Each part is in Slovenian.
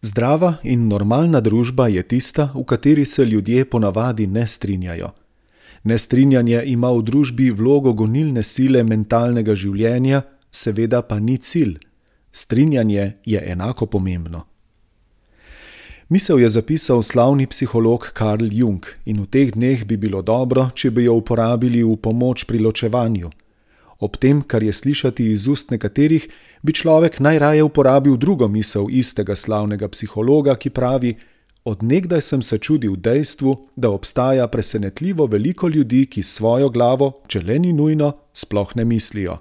Zdrava in normalna družba je tista, v kateri se ljudje ponavadi ne strinjajo. Nestrinjanje ima v družbi vlogo gonilne sile mentalnega življenja, seveda pa ni cilj. Strinjanje je enako pomembno. Misel je zapisal slavni psiholog Carl Jung in v teh dneh bi bilo dobro, če bi jo uporabili v pomoč pri ločevanju. Ob tem, kar je slišati iz ust nekaterih, bi človek najraje uporabil drugo misel istega slavnega psihologa, ki pravi: od nekdaj sem se čudil dejstvu, da obstaja presenetljivo veliko ljudi, ki svojo glavo, če le ni nujno, sploh ne mislijo.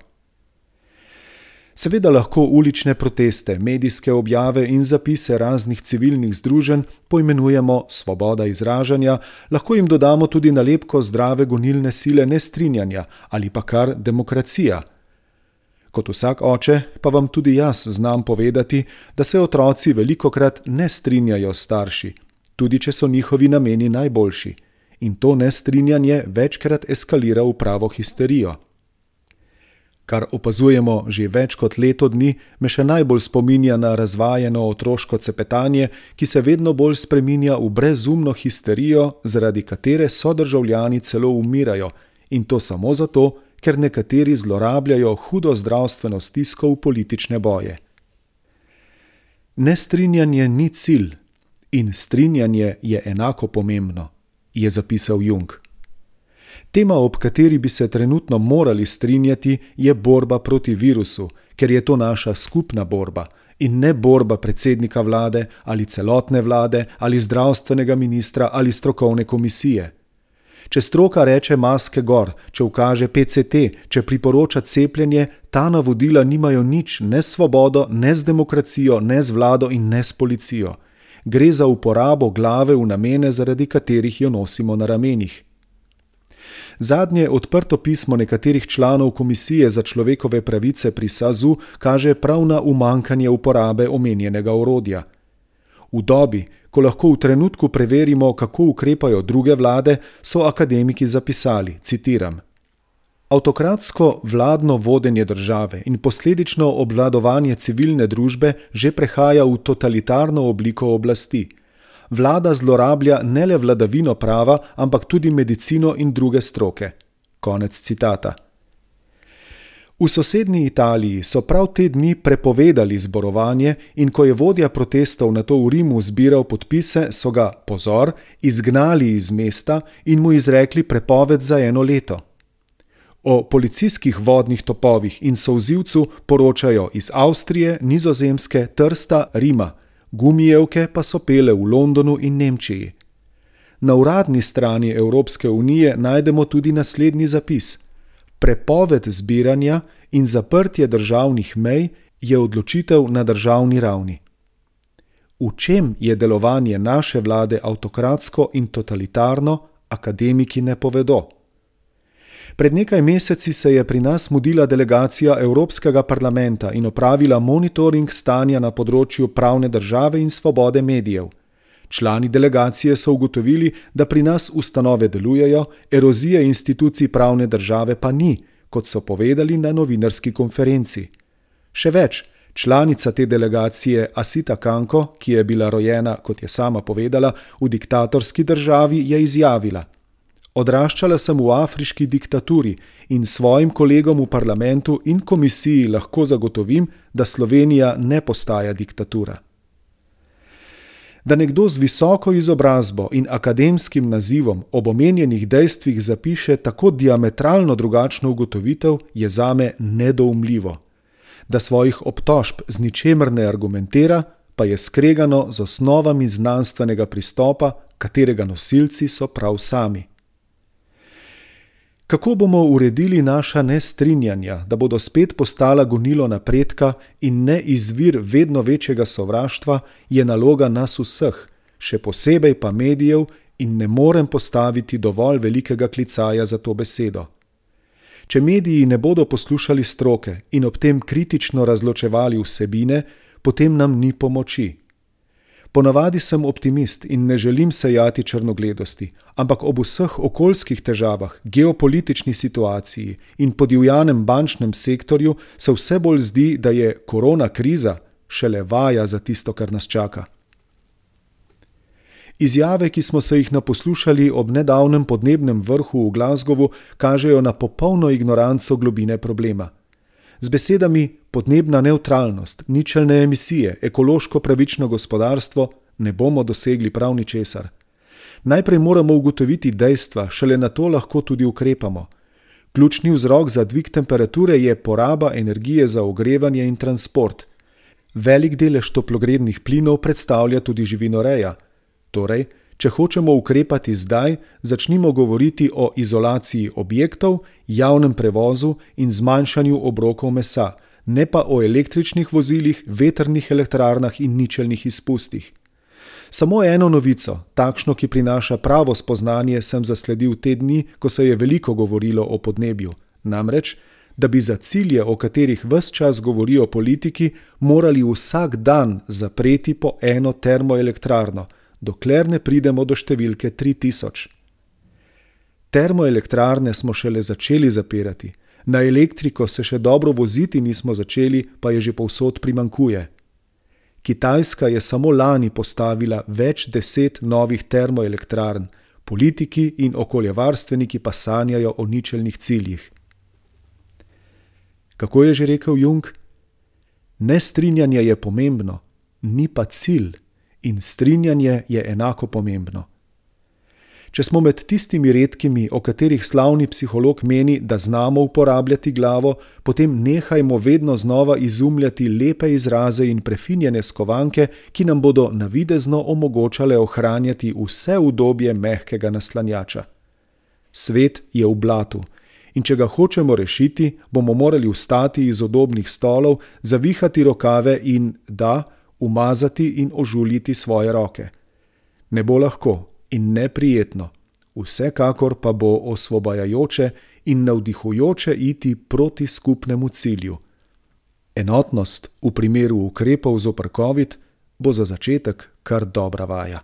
Seveda lahko ulične proteste, medijske objave in zapise raznih civilnih združenj poimenujemo svoboda izražanja, lahko jim dodamo tudi nalepko zdrave gonilne sile nestrinjanja ali pa kar demokracija. Kot vsak oče pa vam tudi jaz znam povedati, da se otroci velikokrat ne strinjajo s starši, tudi če so njihovi nameni najboljši, in to nestrinjanje večkrat eskalira v pravo histerijo. Kar opazujemo že več kot leto dni, me še najbolj spominja na razvajeno otroško cepetanje, ki se vedno bolj spreminja v brezumno histerijo, zaradi katere sodržavljani celo umirajo, in to samo zato, ker nekateri zlorabljajo hudo zdravstveno stisko v politične boje. Nestrinjanje ni cilj in strinjanje je enako pomembno, je zapisal Jung. Tema, ob kateri bi se trenutno morali strinjati, je borba proti virusu, ker je to naša skupna borba in ne borba predsednika vlade ali celotne vlade ali zdravstvenega ministra ali strokovne komisije. Če stroka reče maske gor, če ukaže PCT, če priporoča cepljenje, ta navodila nimajo nič ne s svobodo, ne z demokracijo, ne z vlado in ne s policijo. Gre za uporabo glave v namene, zaradi katerih jo nosimo na ramenih. Zadnje odprto pismo nekaterih članov Komisije za človekove pravice pri SAZU kaže prav na umanjkanje uporabe omenjenega orodja. V dobi, ko lahko v trenutku preverimo, kako ukrepajo druge vlade, so akademiki zapisali, citiram: avtokratsko vladno vodenje države in posledično obvladovanje civilne družbe že prehaja v totalitarno obliko oblasti. Vlada zlorablja ne le vladavino prava, ampak tudi medicino in druge stroke. Konec citata. V sosednji Italiji so prav te dni prepovedali zborovanje in ko je vodja protestov nato v Rimu zbiral podpise, so ga, pozor, izgnali iz mesta in mu izrekli prepoved za 1 leto. O policijskih vodnih topovih in solzivcu poročajo iz Avstrije, Nizozemske, Trsta, Rima. Gumijevke pa so pele v Londonu in Nemčiji. Na uradni strani Evropske unije najdemo tudi naslednji zapis: prepoved zbiranja in zaprtje državnih mej je odločitev na državni ravni. V čem je delovanje naše vlade avtokratsko in totalitarno, akademiki ne povedo. Pred nekaj meseci se je pri nas mudila delegacija Evropskega parlamenta in opravila monitoring stanja na področju pravne države in svobode medijev. Člani delegacije so ugotovili, da pri nas ustanove delujejo, erozije institucij pravne države pa ni, kot so povedali na novinarski konferenci. Še več, članica te delegacije Asita Kanko, ki je bila rojena, kot je sama povedala, v diktatorski državi, je izjavila: odraščala sem v afriški diktaturi in svojim kolegom v parlamentu in komisiji lahko zagotovim, da Slovenija ne postaja diktatura. Da nekdo z visoko izobrazbo in akademskim nazivom ob omenjenih dejstvih zapiše tako diametralno drugačno ugotovitev, je zame nedoumljivo. Da svojih obtožb z ničemer ne argumentira, pa je skregano z osnovami znanstvenega pristopa, katerega nosilci so prav sami. Kako bomo uredili naša nestrinjanja, da bodo spet postala gonilo napredka in ne izvir vedno večjega sovraštva, je naloga nas vseh, še posebej pa medijev, in ne morem postaviti dovolj velikega klicaja za to besedo. Če mediji ne bodo poslušali stroke in ob tem kritično razločevali vsebine, potem nam ni pomoči. Ponavadi sem optimist in ne želim sejati črnogledosti, ampak ob vseh okoljskih težavah, geopolitični situaciji in podivjanem bančnem sektorju se vse bolj zdi, da je korona kriza šele vaja za tisto, kar nas čaka. Izjave, ki smo se jih naposlušali ob nedavnem podnebnem vrhu v Glasgowu, kažejo na popolno ignoranco globine problema. Z besedami podnebna nevtralnost, ničelne emisije, ekološko pravično gospodarstvo ne bomo dosegli prav ničesar. Najprej moramo ugotoviti dejstva, šele nato lahko tudi ukrepamo. Ključni vzrok za dvig temperature je poraba energije za ogrevanje in transport. Velik delež toplogrednih plinov predstavlja tudi živinoreja. Torej, če hočemo ukrepati zdaj, začnimo govoriti o izolaciji objektov, javnem prevozu in zmanjšanju obrokov mesa, ne pa o električnih vozilih, vetrnih elektrarnah in ničelnih izpustih. Samo eno novico, takšno, ki prinaša pravo spoznanje, sem zasledil te dni, ko se je veliko govorilo o podnebju. Namreč, da bi za cilje, o katerih ves čas govorijo politiki, morali vsak dan zapreti po eno termoelektrarno, dokler ne pridemo do številke 3000. Termoelektrarne smo šele začeli zapirati. Na elektriko se še dobro voziti nismo začeli, pa je že povsod primanjkuje. Kitajska je samo lani postavila več 10 novih termoelektrarn, politiki in okoljevarstveniki pa sanjajo o ničelnih ciljih. Kako je že rekel Jung? Nestrinjanje je pomembno, ni pa cilj, in strinjanje je enako pomembno. Če smo med tistimi redkimi, o katerih slavni psiholog meni, da znamo uporabljati glavo, potem nehajmo vedno znova izumljati lepe izraze in prefinjene skovanke, ki nam bodo navidezno omogočale ohranjati vse udobje mehkega naslanjača. Svet je v blatu in če ga hočemo rešiti, bomo morali vstati iz udobnih stolov, zavihati rokave in, umazati in ožuljiti svoje roke. Ne bo lahko in neprijetno, vsekakor pa bo osvobajajoče in navdihujoče iti proti skupnemu cilju. Enotnost v primeru ukrepov zoper COVID bo za začetek kar dobra vaja.